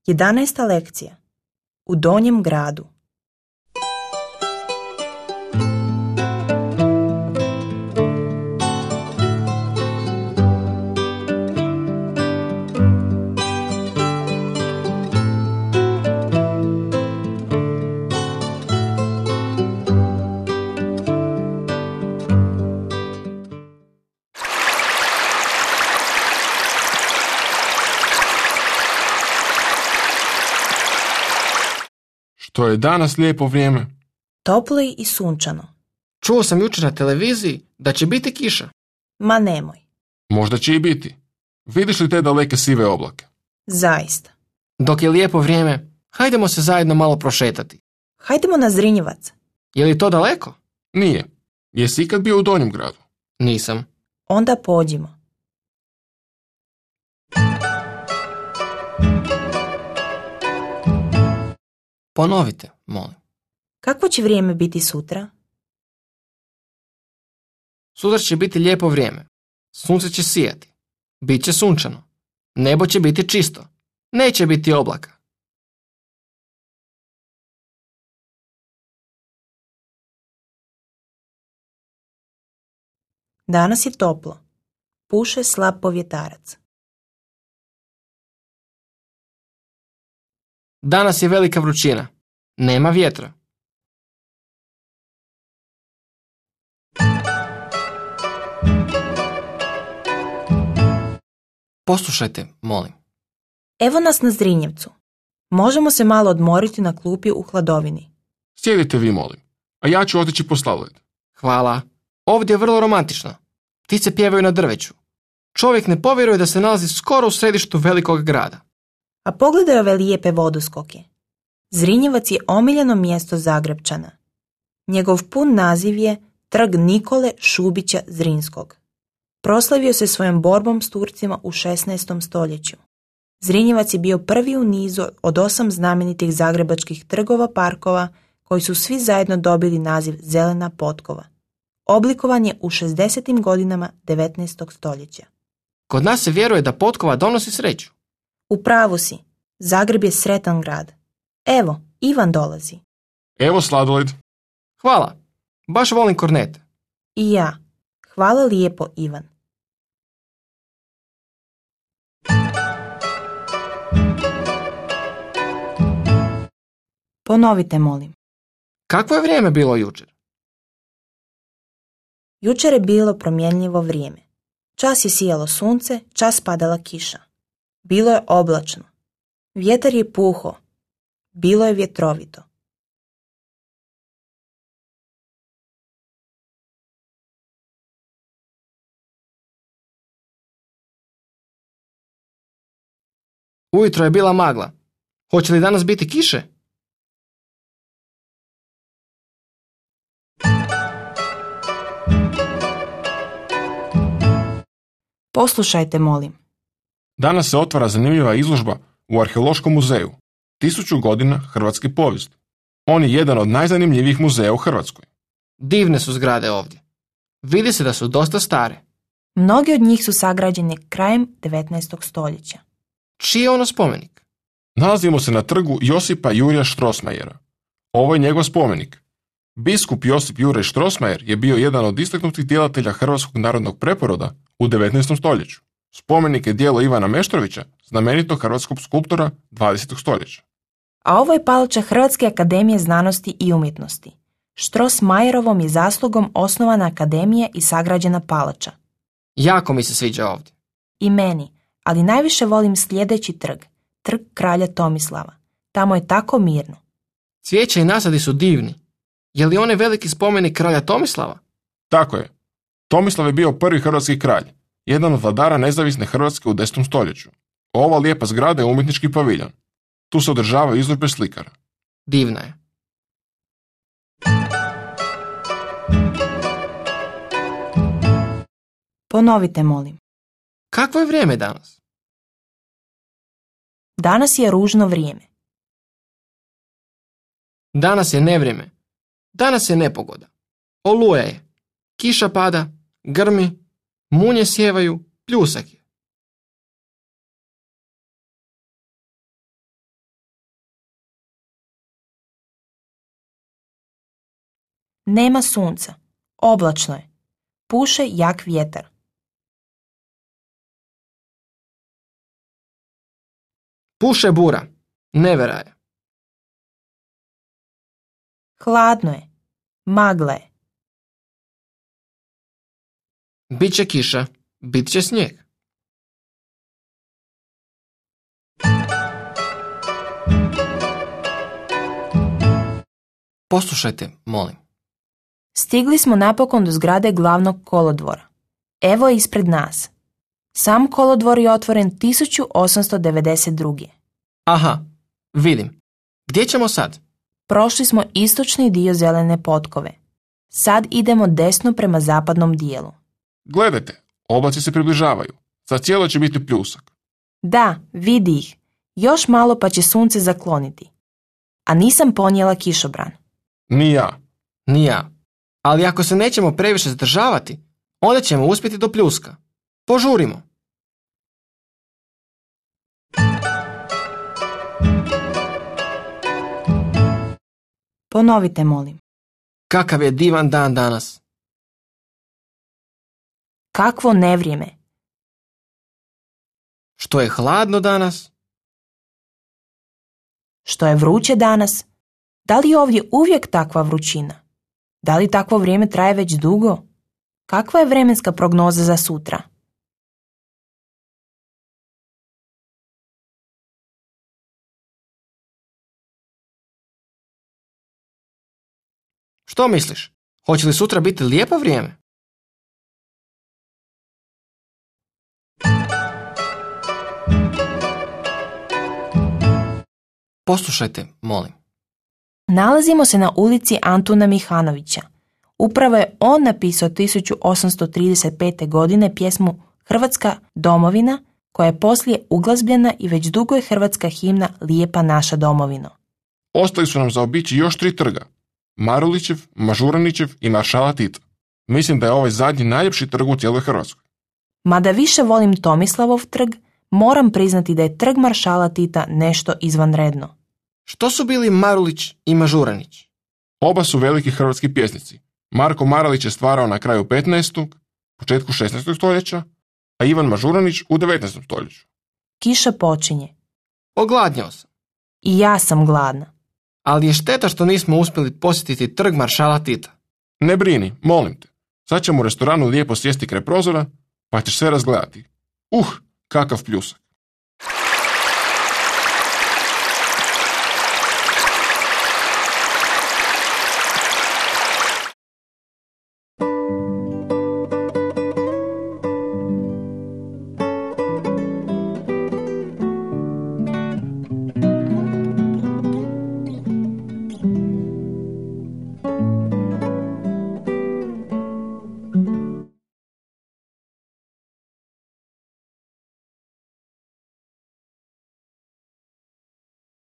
11. lekcija. U Donjem gradu. Što je danas lijepo vrijeme. Toplo i sunčano. Čuo sam jučer na televiziji da će biti kiša. Ma nemoj. Možda će i biti. Vidiš li te daleke sive oblake? Zaista. Dok je lijepo vrijeme, hajdemo se zajedno malo prošetati. Hajdemo na Zrinjevac. Je li to daleko? Nije. Jesi ikad bio u Donjem gradu? Nisam. Onda pođimo. Ponovite, molim. Kakvo će vrijeme biti sutra? Sutra će biti lijepo vrijeme. Sunce će sijati. Biće sunčano. Nebo će biti čisto. Neće biti oblaka. Danas je toplo. Puše slab povjetarac. Danas je velika vrućina. Nema vjetra. Poslušajte, molim. Evo nas na Zrinjevcu. Možemo se malo odmoriti na klupi u hladovini. Sjedite vi, molim. A ja ću otići po sladoled. Hvala. Ovdje je vrlo romantično. Ptice pjevaju na drveću. Čovjek ne povjeruje da se nalazi skoro u središtu velikog grada. A pogledaj ove lijepe vodoskoke. Zrinjevac je omiljeno mjesto Zagrepčana. Njegov pun naziv je Trg Nikole Šubića Zrinskog. Proslavio se svojom borbom s Turcima u 16. stoljeću. Zrinjevac je bio prvi u nizu od 8 znamenitih zagrebačkih trgova parkova koji su svi zajedno dobili naziv Zelena potkova. Oblikovan je u 60. godinama 19. stoljeća. Kod nas se vjeruje da potkova donosi sreću. U pravu si. Zagreb je sretan grad. Evo, Ivan dolazi. Evo sladoled. Hvala. Baš volim kornete. I ja. Hvala lijepo, Ivan. Ponovite, molim. Kakvo je vrijeme bilo jučer? Jučer je bilo promjenljivo vrijeme. Čas je sijalo sunce, čas padala kiša. Bilo je oblačno. Vjetar je puho. Bilo je vjetrovito. Ujutro je bila magla. Hoće li danas biti kiše? Poslušajte, molim. Danas se otvara zanimljiva izložba u Arheološkom muzeju. 1000 godina hrvatske povijesti. On je jedan od najzanimljivijih muzeja u Hrvatskoj. Divne su zgrade ovdje. Vidi se da su dosta stare. Mnogi od njih su sagrađene krajem 19. stoljeća. Čiji je ono spomenik? Nalazimo se na trgu Josipa Jurija Strossmayera. Ovo je njegov spomenik. Biskup Josip Juraj Strossmayer je bio jedan od istaknutih djelatelja hrvatskog narodnog preporoda u 19. stoljeću. Spomenik je djelo Ivana Meštrovića, znamenitog hrvatskog skulptora 20. stoljeća. A ovo je palača Hrvatske akademije znanosti i umjetnosti. Strossmayerovom je zaslugom osnovana akademija i sagrađena palača. Jako mi se sviđa ovdje. I meni, ali najviše volim sljedeći trg, Trg kralja Tomislava. Tamo je tako mirno. Cvijeće i nasadi su divni. Je li onaj veliki spomenik kralja Tomislava? Tako je. Tomislav je bio prvi hrvatski kralj, jedan od vladara nezavisne Hrvatske u 10. stoljeću. Ova lijepa zgrada je umjetnički paviljon. Tu se održavaju izložbe slikara. Divna je. Ponovite, molim. Kakvo je vrijeme danas? Danas je ružno vrijeme. Danas je nevrijeme. Danas je nepogoda. Oluja je. Kiša pada, grmi, munje sjevaju, pljusak je. Nema sunca. Oblačno je. Puše jak vjetar. Puše bura. Nevera je. Hladno je. Magla je. Biće kiša. Bit će snijeg. Poslušajte, molim. Stigli smo napokon do zgrade glavnog kolodvora. Evo je ispred nas. Sam kolodvor je otvoren 1892. Aha, vidim. Gdje ćemo sad? Prošli smo istočni dio zelene potkove. Sad idemo desno prema zapadnom dijelu. Gledajte, oblaci se približavaju. Za cijelo će biti pljusak. Da, vidi ih. Još malo pa će sunce zakloniti. A nisam ponijela kišobran. Ni ja. Ni ja. Ali ako se nećemo previše zadržavati, onda ćemo uspjeti do pljuska. Požurimo. Ponovite, molim. Kakav je divan dan danas. Kakvo nevrijeme. Što je hladno danas. Što je vruće danas. Da li je ovdje uvijek takva vrućina? Da li takvo vrijeme traje već dugo? Kakva je vremenska prognoza za sutra? Što misliš? Hoće li sutra biti lijepo vrijeme? Poslušajte, molim. Nalazimo se na ulici Antuna Mihanovića. Upravo je on napisao 1835. godine pjesmu Hrvatska domovina, koja je poslije uglazbljena i već dugo je hrvatska himna Lijepa naša domovino. Ostali su nam zaobići još 3 trga. Marulićev, Mažuranićev i Maršala Tita. Mislim da je ovaj zadnji najljepši trg u cijeloj Hrvatskoj. Mada više volim Tomislavov trg, moram priznati da je trg Maršala Tita nešto izvanredno. Što su bili Marulić i Mažuranić? Oba su veliki hrvatski pjesnici. Marko Marulić je stvarao na kraju 15. početku 16. stoljeća, a Ivan Mažuranić u 19. stoljeću. Kiša počinje. Ogladnjao sam. I ja sam gladna. Ali je šteta što nismo uspjeli posjetiti trg Maršala Tita. Ne brini, molim te. Sad ćemo u restoranu lijepo sjesti kraj prozora, pa ćeš sve razgledati. Kakav pljusak.